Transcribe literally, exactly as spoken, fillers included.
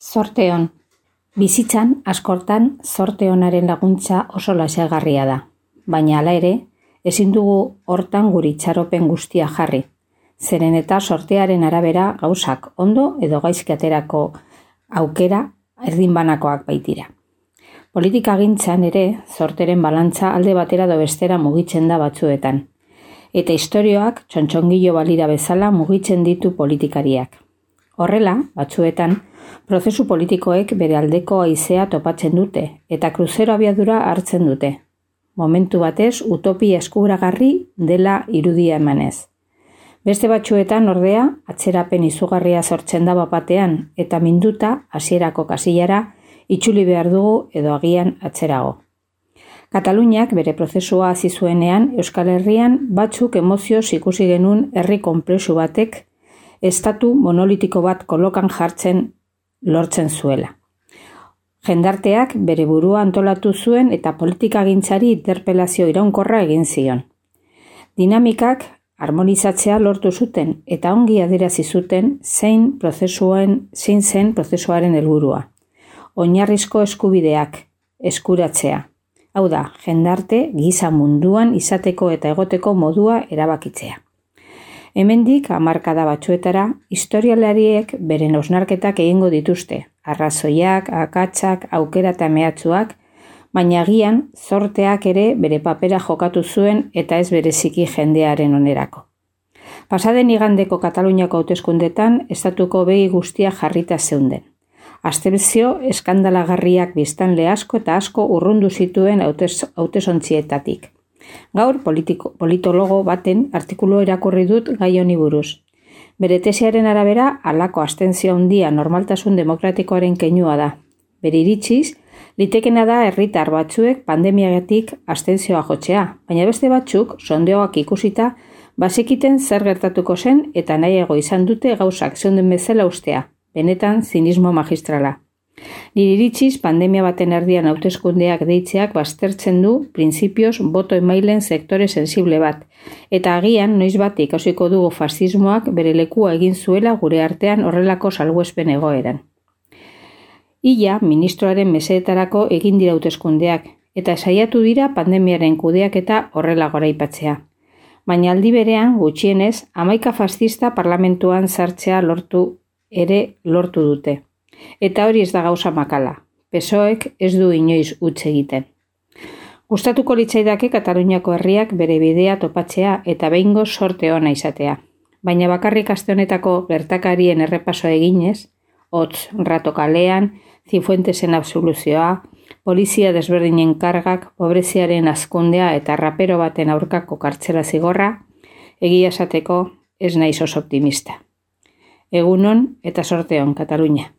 Zorte on. Bizitzan, askortan, zorte onaren laguntza oso lasaigarria da. Baina hala ere, ezin dugu hortan guri itxaropen guztia jarri. Zeren eta sortearen arabera gauzak ondo edo gaizki aterako aukera erdinbanakoak baitira. Politikagintzan ere, zorteren balantza alde batera edo bestera mugitzen da batzuetan. Eta istorioak txontxongilo balira bezala mugitzen ditu politikariak. Horrela, batzuetan, prozesu politikoek bere aldeko haizea topatzen dute eta kruzero abiadura hartzen dute. Momentu batez, utopia eskuragarri dela irudia emanez. Beste batzuetan ordea, atzerapen izugarria sortzen da bapatean eta minduta hasierako kasillara itzuli behar dugu edo agian atzerago. Kataluniak bere prozesua hasi zuenean Euskal Herrian batzuk emozioz ikusi genuen herri konplexu batek estatu monolitiko bat kolokan jartzen lortzen zuela. Jendarteak bere burua antolatu zuen eta politikagintzari interpelazio iraunkorra egin zion. Dinamikak harmonizatzea lortu zuten eta ongi adierazi zuten zein prozesuen zein zen prozesuaren helburua. Oinarrizko eskubideak eskuratzea. Hau da, jendarte giza munduan izateko eta egoteko modua erabakitzea. Hemendik hamarkada batzuetara, historialariek beren osnarketak egingo dituzte, arrazoiak, akatsak, aukera eta mehatzuak, baina agian zorteak ere bere papera jokatu zuen eta ez bereziki jendearen onerako. Pasaden igandeko Kataluniako hauteskundetan estatuko begi guztia jarrita zeunden. Abstentzio eskandalagarriak biztanle asko eta asko urrundu zituen hautesontsietatik. Gaur politiko, politologo baten artikulu irakurri dut gai honi buruz. Bere tesiaren arabera, halako abstentzio handia normaltasun demokratikoaren keinua da. Bere iritziz, litekena da herritar batzuek pandemiagatik abstentzioa jotzea, baina beste batzuk, sondeoak ikusita, bazekiten zer gertatuko zen eta nahiago izan dute gauzak zeunden bezala ustea, benetan zinismo magistrala. Nire iritziz, pandemia baten erdian hauteskundeak deitzeak baztertzen du printzipioz boto emailen sektore sensible bat, eta agian noiz bat ikasiko dugu fascismoak bere lekua egin zuela gure artean horrelako salbuespen egoeran. Ia, ministroaren mesedetarako egin dira hauteskundeak, eta saiatu dira pandemiaren kudeaketa horrela goraipatzea. Baina aldi berean, gutxienez, hamaika fascista parlamentuan sartzea lortu ere lortu dute. Eta hori ez da gauza makala. P S O Ek ez du inoiz huts egiten. Gustatuko litzaidake Kataluniako herriak bere bidea topatzea eta behingo sorte ona izatea. Baina bakarrik aste honetako gertakarien errepasoa eginez, hotz rato kalean, Zifuentesen absoluzioa, polizia desberdinen kargak, pobreziaren hazkundea eta rapero baten aurkako kartzela zigorra, egia esateko ez naiz oso optimista. Egunon eta sorte on, Katalunia.